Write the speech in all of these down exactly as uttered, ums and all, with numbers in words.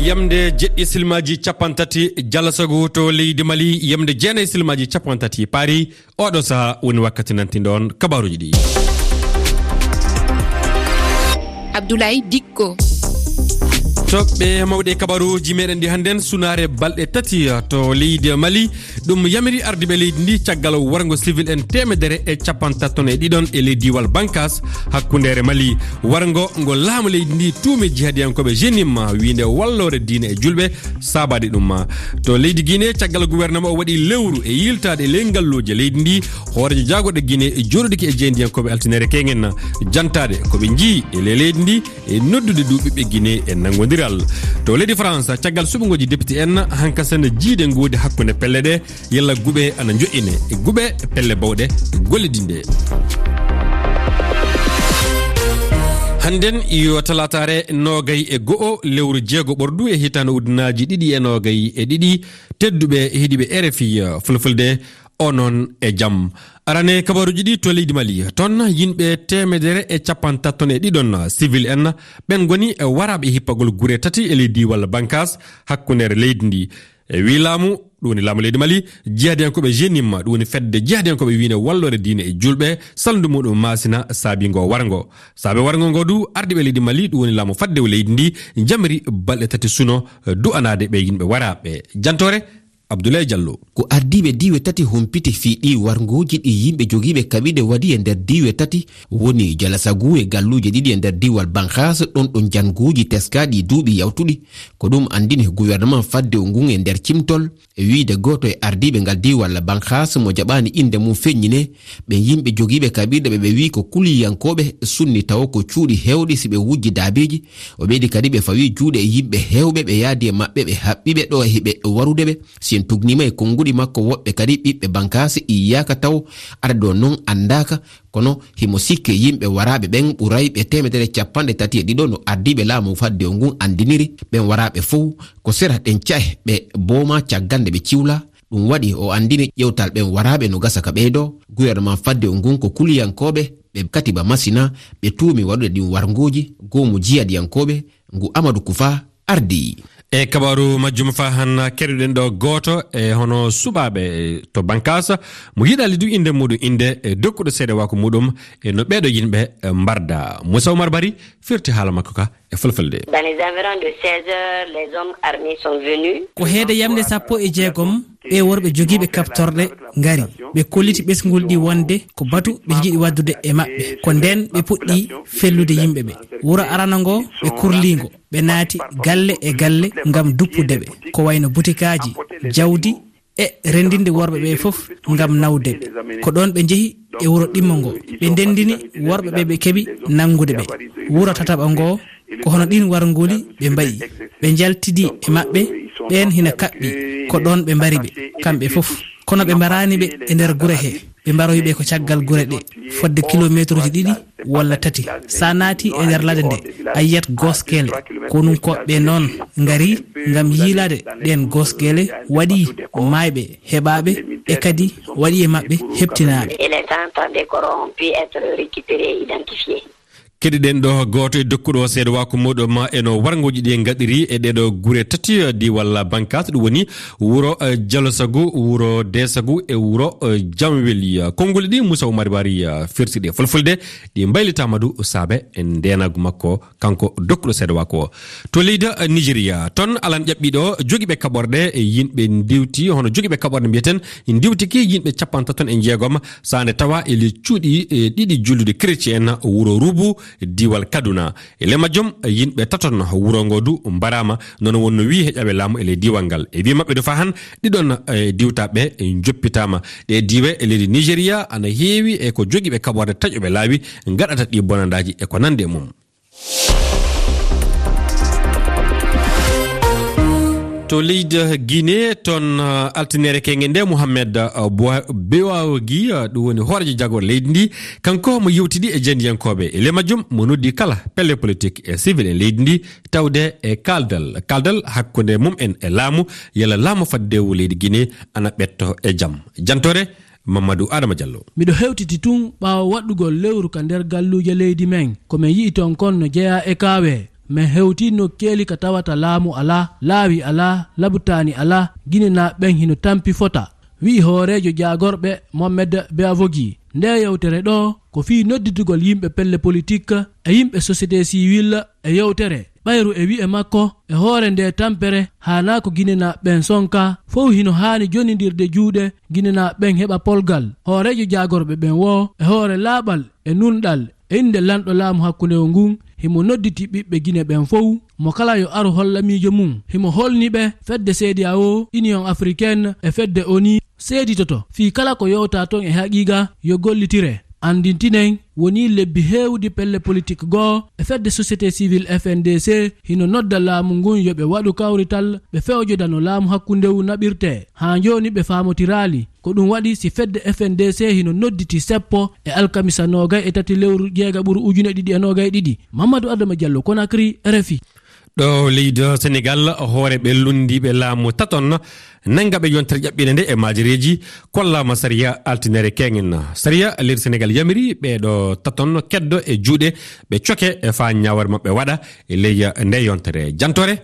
Yamde jeɗɗi silmaaji cappanɗe tati jalasagu to leydi Mali, yamde jeenayi silmaaji cappanɗe tati paari. Oɗo saha woni wakkati nantinɗo on kabaruuji ɗi. Abdoulaye Dikko. Toɓɓe mawɗe kabaruuji meɗen ɗi hannden, sunaare balɗe tati to leydi Mali. Ɗum yamiri ardiiɓe leydi ndi caggal warngo civil en teemedere e cappanɗe tati ton e ɗiɗon e ley diiwal Bankas hakkundeere Mali. Warngo ngo laamu leydi ndi tuumi jihadiyankooɓe Jenim wiinde walloore diine e julɓe saabaade ɗum. To leydi Guinée, caggal gouvernement o waɗi lewru e yiltaade e ley ngalluuje leydi ndi, hooreejo jaagorɗe Guinée jooɗodiki e jeyndiyankooɓe altinere keŋen. Jantaade ko ɓe njii e ley leydi ndi e noddude du ɓiɓɓe Guinée e nanngondiral. To leydi France, caggal suɓngooji député en, hankasen jiide ngoodi hakkunde pelle ɗe, yalla guɓe ana njoƴƴine e guɓe pelle bawɗe gollidinde. Hannden yo talaataare noogay e go'o lewru jeego ɓordu e hitaande ujunaaji ɗiɗi e noogay e ɗiɗi, tedduɓe heɗiiɓe R F I Fulfulde, onon e jam. Arane kabaruuji ɗi to leydi Mali. Ton yimɓe teemedere e cappanɗe tati ton e ɗiɗon civil en, ɓen ngoni e waraaɓe hippagol gure tati e ley diiwal Bankas hakkundeere leydi ndi. E wii laamu, ɗum woni laamu leydi Mali, jihadiyankooɓe Jenim, ɗum woni fedde jihadiyankooɓe wiine walloore diine e julɓe, salndu muɗum maasina saabi ngo warngo. Saabe warngo ngo du, ardiiɓe leydi Mali, ɗum woni laamu faddewu leydi ndi, jamiri balɗe tati suno, du'anaade ɓe yimɓe waraaɓe. Jantoore, Abdoulaye Diallo. Ko ardiiɓe diiwe tati humpiti fii ɗii warngooji ɗi yimɓe jogiiɓe kaɓirɗe waɗi e nder diiwe tati, woni Jalasagu e galluuje ɗiɗi e nder diiwal Banxaas, ɗon ɗo njannguuji teskaaɗi duuɓi yawtuɗi. Ko ɗum anndini gouvernement faddewu ngun e nder cimtol, e wiide gooto e ardiiɓe ngal diiwal Banxaas mo jaɓaani innde mum feññinee, ɓen yimɓe jogiiɓe kaɓirɗe ɓe ɓe wi'i ko kuliyankooɓe sunni tawo ko cuuɗi heewɗi si ɓe wujji daabeeji. O ɓeydi kadi ɓe fawi juuɗe e yimɓe heewɓe ɓe yaadi e maɓɓe ɓe haɓɓi ɓe ɗo e hiɓe warude ɓe. Si en tugniima e konnguɗi makko woɗɓe kadi ɓiɓɓe Bankaasi iyyaaka taw aɗa ɗo non anndaaka. Kono himo sikke yimɓe waraaɓe ɓen ɓuray ɓe teemedere cappanɗe tati e ɗiɗo no ardiiɓe laamu faddewu ngun anndiniri. Ɓen waraaɓe fow ko sera ɗen ca'e ɓe booma caggal nde ɓe ciwla. Ɗum waɗi o anndini ƴewtal ɓen waraaɓe no gasa ka ɓeydoo. Gouvernement faddewu ngun ko kuliyankooɓe ɓe katiba masina ɓe tuumi waɗude ɗin warngooji goomu jihadiyankooɓe ngu Amadou Koufa ardii. E kabaaru majjum fa han keɗoɗen ɗo gooto e hono suɓaaɓe to Bankaas mo yiɗaali du innde muɗum innde e dokkuɗo seedewaaku muɗum e no ɓeeɗo yimɓe mbarda. Moussa Oumar Bari firti haala makko ka e fulfulde. Dans les environs de seize heures, les hommes armés sont venus. Ko heede yamde sappo e jeegom, ɓe worɓe jogiiɓe kaɓtorɗe ngari. Ɓe kolliti ɓesngol ɗi wonde ko batu ɓe njiɗi waɗdude e maɓɓe. Ko ndeen ɓe puɗɗi fellude yimɓe ɓe. Wuro arano ngo ɓe kurlii ngo. Ɓe naati galle e galle ngam duppude ɓe. Ko wayno butikaaji, jawdi, e renndinde worɓe ɓe fof ngam nawde ɓe. Ko ɗoon ɓe njehi e wuro ɗimmo ngo. Ɓe ndenndini worɓe ɓe ɓe keɓi nanngude ɓe. Wuro tataɓo ngo, ko hono ɗiin warngooli ɓe mbayi. Ɓe njaltidi e maɓɓe, ɓeen hina kaɓɓi. Ko ɗoon ɓe mbari ɓe, kamɓe fof. Kono ɓe mbaraani ɓe e nder gure he. Ɓe mbaroyi ɓe ko caggal gure ɗe, fodde kilomeetruuji ɗiɗi walla tati. So a naati e nder ladde nde, a yiyat gooskele. Konunkooɓe ɓe noon ngari ngam yiilaade ɗeen gooskele, waɗi maayɓe heɓaaɓe e kadi waɗi e maɓɓe heɓtinaaɓe. Et les cent trente corps ont pu être récupérés et identifiés. Keɗiɗen ɗo gooto e dokkuɗo seedewaaku muɗum e no warngooji ɗi ngaɗiri e ɗeeɗo gure tati, eh, diiwal Bankaas, ɗum woni wuro, eh, Jalosagu, wuro Deesagu e wuro, eh, Jamweli. Konnguli ɗi Moussa Oumar Bari, eh, firti ɗe fulfulde, ɗi mbaylitaama du saabe e ndeenaagu makko, kanko dokkuɗo seedewaaku o. To leydi, eh, Nigeria, ton alan ƴaɓɓiiɗo jogiiɓe kaɓorɗe e yimɓe ndiwti, hono jogiiɓe kaɓorɗe mbiyeten, ndiwtiki yimɓe cappanɗe tati e jeegom, saande tawa e ley cuuɗi, e ɗiɗi jullude chrétien wuro Rubu, diiwal Kaduna. E ley majjum, yimɓe taton wuro ngo du mbaraama, nono wonno wi'i heƴaaɓe laamu e ley diiwal ngal. E wi'i maɓɓe du fa han, ɗiɗon, eh, diwtaaɓe njoppitaama. Ɗe diiwe e leydi Nigeria ana heewi e ko jogiiɓe kaɓorɗe taƴuɓe laawi ngaɗata ɗi bonandaaji e ko nandi e mum. To leydi Guinée, toon, uh, altinere keŋŋe nde, Mohamed, uh, Boi-, Bewaogi, uh, ɗum woni hooreejo jagorɗe leydi ndi, kanko mo yewtidi e jeendiyankooɓe. E ley majjum, mo noddi kala pelle politik e civil en leydi ndi, tawde e kaaldal, kaaldal hakkunde mum en e laamu, yalla laamu faddewu leydi Guinée ana ɓetto e jam. Jantore, Mamadou Adama Diallo. Miɗo hewtiti tun ɓaawo waɗɗugol lewru ka nder galluuje leydi men. Ko men yi'i ton kon no jeyaa e kaawe. Men hewtii nokkeeli ka tawata laamu alaa, laawi alaa, labutaani alaa, Ginenaaɓe ɓen hino tampi fota, wi'i hooreejo jaagorɓe Mohamed Beavogi. Ndee yewtere ɗoo ko fii nodditugol yimɓe pelle politik e yimɓe sosiyete siwil e yewtere. Ɓayru e wi'e makko, e hoore ndee tampere, haanaa ko Ginenaaɓe ɓen sonka, fow hino haani jonindirde juuɗe, Ginenaaɓe ɓen heɓa polgal. Hooreejo jaagorɓe ɓen woo, e hoore laaɓal e nunɗal, e innde lanɗo laamu hakkundewu ngun, himo nodditi ɓiɓɓe Gine ɓen fow, mo kala yo aru holla miijo mun. Himo holni ɓe fedde C E D E A O, Union Africaine e fedde O N U seeditoto fii kala ko yowtaa ton e haqiiqa yo gollitire. Anndintinen, wonii lebbi heewuɗi pelle politik goo e fedde sosiyete siwil F N D C hino nodda laamu ngun yo ɓe waɗu kawrital, ɓe fewjoda no laamu hakkundewu naɓirtee. Haa jooni ɓe faamotiraali. Ko ɗun waɗi si fedde F N D C hino nodditi seppo e alkamisa noogay e tati lewru jeegaɓuru ujune ɗiɗi e noogay ɗiɗi. Mamadou Adama Diallo, Conakry, R F I. Ɗo leydi Senegal, hooreeɓe lunndiiɓe laamu taton nanngaɓe yontere ƴaɓɓiinde nde e maajereeji kollaama sariya altine keeŋen. Sariya leydi Senegal yamiri ɓee ɗoo taton keddo e juuɗe, ɓe coke e faa ñaawore maɓɓe waɗa e ley nde yontere. Jantoore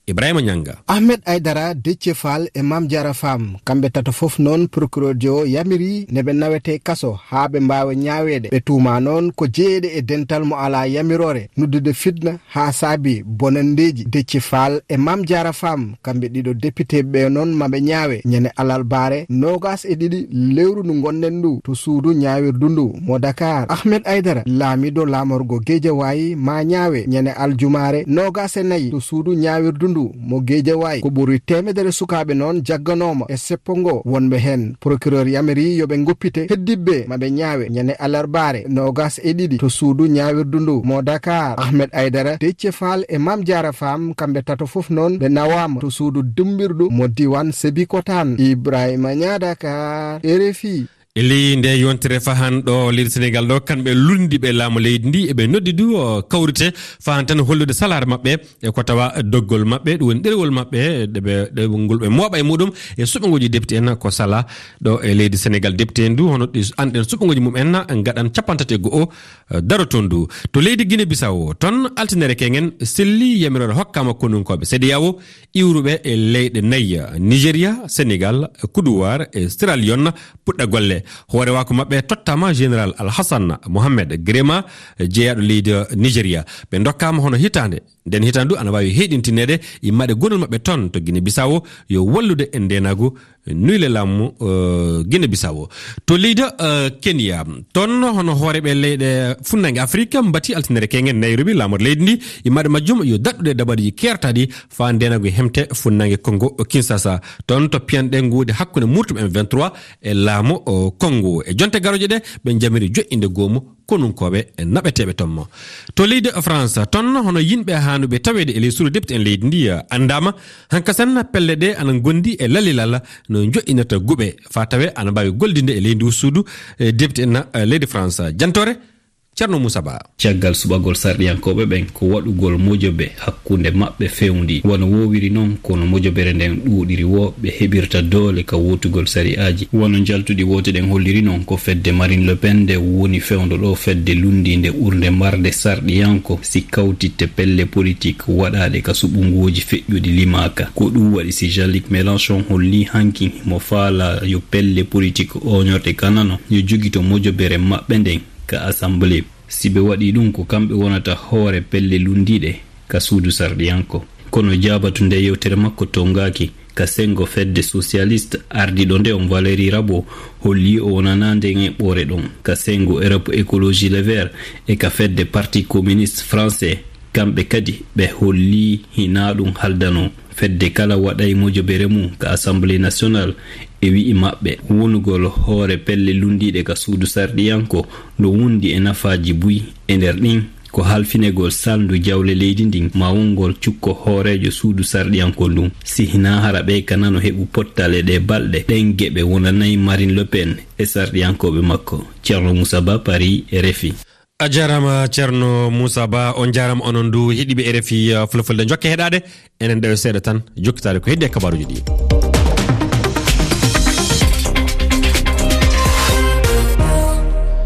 Ibrahima Ñanga. Ahmed Aidara, Déthié Fall e Mame Diarra Fam, kamɓe tato fof noon procureur jo yamiri ne ɓe nawetee kaso haa ɓe mbaawa ñaaweede. Ɓe tuumaa noon ko jeyeede e dental mo alaa yamiroore, noddude fitna haa saabi bonanndeeji. Déthié Fall e Mame Diarra Fam, kamɓe ɗiɗo député ɓe noon, maɓe ñaawe ñande alarbaare noogaas e ɗiɗi lewru ndu ngonɗen ndu to suudu ñaawirdu ndu mo Dakar. Ahmed Aidara, laamiiɗo laamorgo Guédiawaye, maa ñaawe ñande aljumaare noogaas e nayi to suudu ñaawirdu ndu mo Guédiawaye. Ko ɓuri teemedere sukaaɓe noon jagganooma e seppo ngo, wonɓe heen procureur yamiri yo ɓe ngoppite, heddiiɓe maɓe ñaawe ñande alarbaare noogaas e ɗiɗi to suudu ñaawirdu ndu mo Dakar. Ahmed Aidara, Déthié Fall e Mame Diarra Fam, kamɓe tato fof noon ɓe nawaama to suudu dummbirdu mo diiwaan Sébikotane. Ibrahima Ñaa, Dakar, R F I. E ley nde yontere fahan ɗo leydi Senegal ɗo, kamɓe lunndiiɓe laamu leydi ndi, eɓe noddi du, o, kawrite fahan tan hollude salaare maɓɓe e ko tawa doggol maɓɓe, ɗum woni ɗerewol maɓɓe, ɗe ɓe, ɗe ngol ɓe mooɓa e muɗum e suɓngooji député en ko sala ɗo e leydi Senegal. Député en du, hono ɗi anɗen suɓngooji mum en, ngaɗan cappanɗe tati e go'o, eh, daro toon du. To leydi Guinée Bissau, toon altinere keŋen selli yamiroore hokkaama konunkooɓe C E D E A O, iwruɓe e leyɗe nayi, Nigeria, Senegal, Côte d'Ivoire e Sierra Leone, puɗɗa golle. Hoorewaaku maɓɓe tottaama Général Alhassan Mohamed Girma, jeyaaɗo leydi Nigeria. Ɓe ndokkaama hono hitaande. Nden hitaande du ana waawi heyɗintineede, immaade gonol maɓɓe toon to Guinée Bissau yo wallude e ndeenaagu, nuyle laamu, eh, Guinée Bissau. To leydi, eh, Kenya, toon hono hooreeɓe leyɗe funnange Afirika mbati altinere keŋen Nairobi, laamor leydi ndi, immaade majjum yo daɗɗude dabaruuji keertaaɗi faa ndeenaagu hemte funnange Congo Kinshasa. Toon to piyanɗe nguude hakkunde murtum M vingt-trois e laamu, o, Congo. E jonte garooje ɗe, ɓe njamiri joƴƴinde goomu konunkooɓe naɓeteeɓe toon mo. To leydi France, toon hono yimɓe haanuɓe taweede e ley suudu depite en leydi ndi, eh, anndaama. Hankasan pelle ɗe ana ngondi e lalilal no joƴƴinirta guɓe faa tawee ana mbaawi gollidinde e ley ndu suudu, eh, depite en, eh, leydi France. Jantoore, Ceerno Muusa Ba. Caggal suɓagol sarɗiyankooɓe ɓen ko waɗugol mojobe hakkunde maɓɓe fewndi. Wano woowiri non, kono mojobere nden ɗuuɗiri woo, ɓe heɓirta doole ka wootugol sari'aaji. Wano njaltuɗi woote ɗen holliri non, ko fedde Marine Le Pen nde woni fewndo ɗoo fedde lunndiinde ɓurnde marde sarɗiyanko si kawtitte pelle politik waɗaaɗe ka suɓngooji feƴƴuɗi limaaka. Ko ɗum waɗi si Jean-Luc Mélenchon holli hanki mo faalaa yo pelle politik ooñorɗe ka nano yo jogito mojobere maɓɓe nden ka Assemblée. Si ɓe waɗii ɗum, ko kamɓe wonata hoore pelle lunndiiɗe ka suudu sarɗiyanko. Kono jaabatu nde yewtere makko tongaaki. Ka senngo fedde sosiyalist ardiiɗo nde on, Valérie Rabault, holli o wonanaa nden eɓɓoore ɗon. Ka senngo Europe Écologie Les Verts e ka fedde Parti Communiste Français, kamɓe kadi ɓe holli hinaa ɗum haldanoo. Fedde kala waɗay mojobere mum ka Assemblée Nationale e wi'i maɓɓe wonugol hoore pelle lunndiiɗe ka suudu sarɗiyanko no wondi e nafaaji buy. E nder ɗin, ko halfinegol salndu jawle leydi ndin, ma wongol cukko hooreejo suudu sarɗiyanko ndun. Si hinaa hara ɓe ka nano heɓu pottal e ɗee balɗe, ɗen geɓe wonanay Marine Le Pen e sarɗiyankooɓe makko. Ceerno Muusa Ba, Paris, R F I. A jaaraama Ceerno Muusa Ba, on jaaraama onon du heɗiiɓe R F I, uh, Fulfulde. Njokke heɗaade, enen ɗewe seeɗa tan jokkitaade ko heddi e kabaaruuji ɗi.